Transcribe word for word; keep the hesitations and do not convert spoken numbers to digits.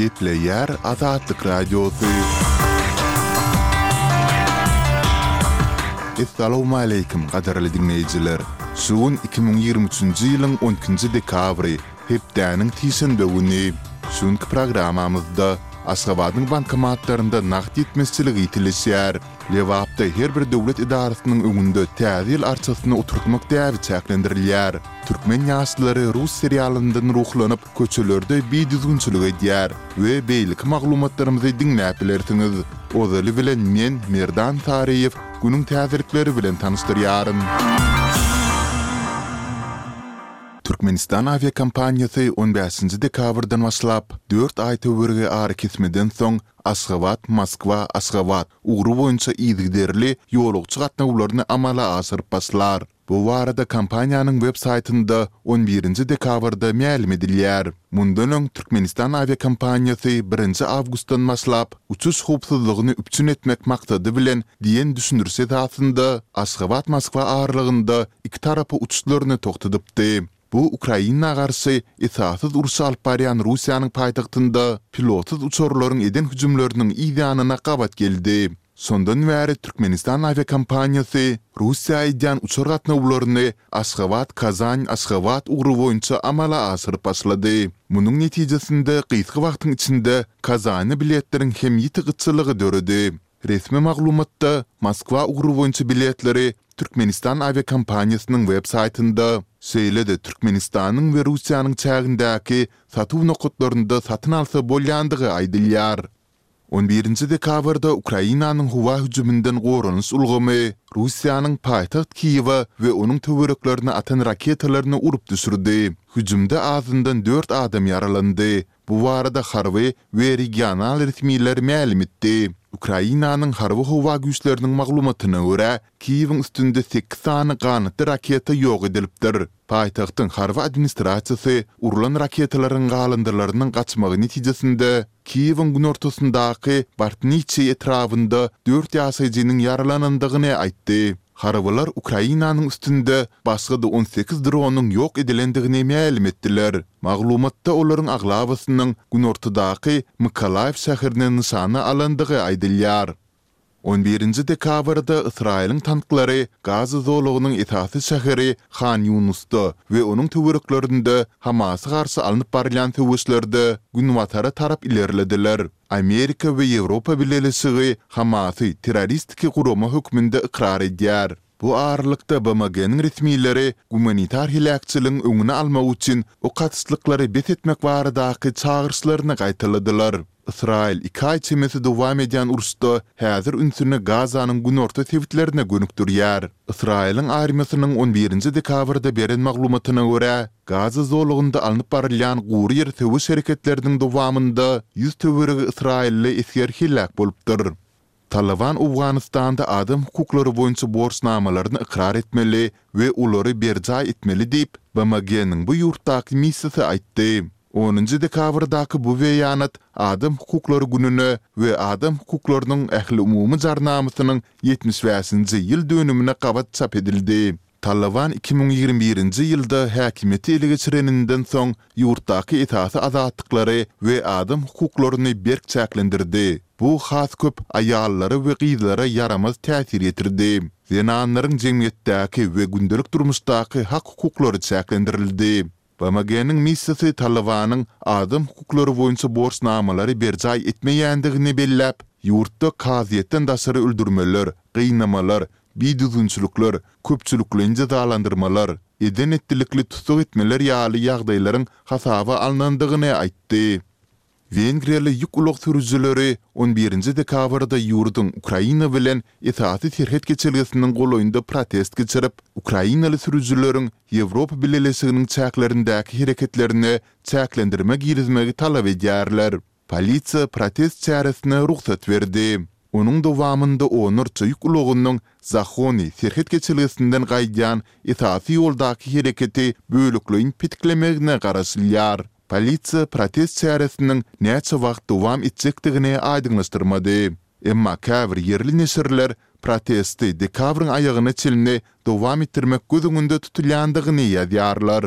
Gepleýär Azatlyk Radiosy. Essalawmaleýkim, gadyrly diňleýjiler! Şu gün iki müň ýigrimi üçünji ýylyň on ikinji dekabry, hepdäniň sişenbe güni. Şu günki programmamyzda Aşgabadyň bankomatlarynda nagt ýetmezçiligi ýitileşýär. Lebapda her bir döwlet edarasynyň öňünde Täze ýyl arçasyny oturtmak däbi çäklendirilýär. Türkmen ýaşlary rus serialyndan ruhlanyp, köçelerde bidüzgünçilik edýär we beýleki maglumatlarymyzy diňläp bilersiňiz. Ozaly bilen men, Merdan Saryýew, günüň täzelikleri bilen tanyşdyrýaryn. Türkmenistan awiakompaniýasy on bäşinji dekabrdan başlap, dört aý töweregi arakesmeden soň Aşgabat, Moskwa, Aşgabat ugry boýunça yzygiderli ýolagçy gatnawlaryny amala aşyryp başlar. Bu barada kompaniýanyň web saýtynda on birinji dekabrda mälim edilýär. Mundan öň Türkmenistan awiakompaniýasy birinji awgustdan başlap, uçuş howpsuzlygyny üpjün etmek maksady bilen diýen düşündiriş esasynda Aşgabat-Moskwa aralygynda iki tarapa uçuşlaryny togtadypdy. Bu Ukraina garşy esassyz urşy alyp barýan Russiýanyň paýtagtynda pilotsyz uçarlaryň eden hüjümleriniň yz ýanyna gabat geldi. Şondan bäri Türkmenistan awiakompaniýasy Russiýa edýän uçar gatnawlaryny Aşgabat-Kazan-Aşgabat ugry boýunça amala aşyryp başlady. Munuň netijesinde gysga wagtyň içinde Kazana biletleriň hem ýiti gytçylygy döredi. Resmi maglumatda Moskwa ugry boýunça biletleri Türkmenistan awiakompaniýasynyň web saýtynda, şeýle-de Türkmenistanyň we Russiýanyň çägindäki satuw nokatlarynda satyn alsa bolýandygy aýdylýar. On birinji dekabrda Ukrainanyň howa hüjüminden goranyş ulgamy Russiýanyň paýtagt Kiýewe we onuň töwereklerine atan raketalaryny urup düşürdi. Hüjümde azyndan dört adam ýaralandy. Bu barada harby we regional resmiler mälim etdi. Ukrainanyň Harby-howa güýçleriniň maglumatyna görä, Kiýewiň üstünde sekiz sany ganatly raketa ýok edilipdir. Paýtagtyň harby administrasiýasy urlan raketalaryň galyndylarynyň gaçmagy netijesinde Kiýewiň günortasyndaky Bartniçiý etrabynda dört ýaşaýjynyň ýaralanandygyny aýtdy. Harbylar Ukrainanyň üstünde başga-da on sekiz dronyň ýok edilendigini mälim etdiler. Maglumatda olaryň aglabasynyň günortadaky Mykolaýiw şäherini nyşana alandygy aýdylýar. On birinji dekabrda Ysraýylyň tanklary Gaza zolagynyň esasy şäheri Han Ýunusda we onuň töwereklerinde Hamasa garşy alnyp barylýan söweşlerde günbatara tarap ilerlediler. Amerika we Ýewropa Bileleşigi Hamasy terroristiki gurama hökmünde ykrar edýär. Bu aralykda BMG-niň resmileri gumanitar heläkçiligiň öňüni almak üçin ok atyşlyklary bes etmek baradaky çagyryşlaryny gaýtaladylar. Ysraýyl iki aý çemesi dowam edýän uruşda häzir ünsüni Gazanyň günorta sebitlerine gönükdirýär. Ysraýylyň armiýasynyň on birinji dekabrda beren maglumatyna görä, Gaza zolagynda alnyp barylýan gury ýer söweş hereketleriniň dowamynda ýüz töweregi ysraýylly esger heläk bolupdyr. Talyban Owganystanda adam hukuklary boýunça borçnamalaryny ykrar etmeli we olary berjaý etmeli diýip, BMG-niň bu ýurtdaky missiýasy aýtdy. Onunjy dekabrdaky bu beýanat Adam hukuklary gününe we Adam hukuklarynyň ähliumumy jarnamasynyň ýetmiş bäşinji ýyl dönümine gabat çap edildi. Talyban iki müň ýigrimi birinji ýylda häkimiýeti ele geçireninden soň ýurtdaky esasy azatlyklary we adam hukuklaryny berk çäklendirdi. Bu has köp aýallara we gyzlara ýaramaz täsir ýetirdi. Zenanlaryň jemgyýetdäki we gündelik durmuşdaky hak-hukuklary çäklendirildi. BMG-niň missiýasy Talybanyň adam hukuklary boýunça borçnamalary berjaý etmeýändigini belläp, ýurtda kazyýetden daşary öldürmeler, gynamalar, bidüzgünçilikler, köpçülikleýin jezalandyrmalar, eden-etdilikli tussag etmeler ýaly ýagdaýlaryň hasaba alnandygyny aýtdy. Wengriýaly ýük ulag sürüjileri on birinji dekabrda ýurduň Ukraina bilen esasy serhet geçelgesiniň golaýynda protest geçirip, ukrainaly sürüjileriň Ýewropa Bileleşiginiň çäklerindäki hereketlerine çäklendirme girizmegi talap edýärler. Polisiýa protest çäresine rugsat berdi. Onuň dowamynda onlarça ýük ulagynyň Zahony serhet geçelgesinden gaýdýan esasy ýoldaky hereketi bölekleýin petiklemegine garaşylýar. Polisiýa protest çäresiniň näçe wagt dowam etjekdigini aýdyňlaşdyrmady. Emma käbir ýerli neşirler protesti dekabryň aýagyna çenli dowam etdirmek göz öňünde tutulýandygyny ýazýarlar.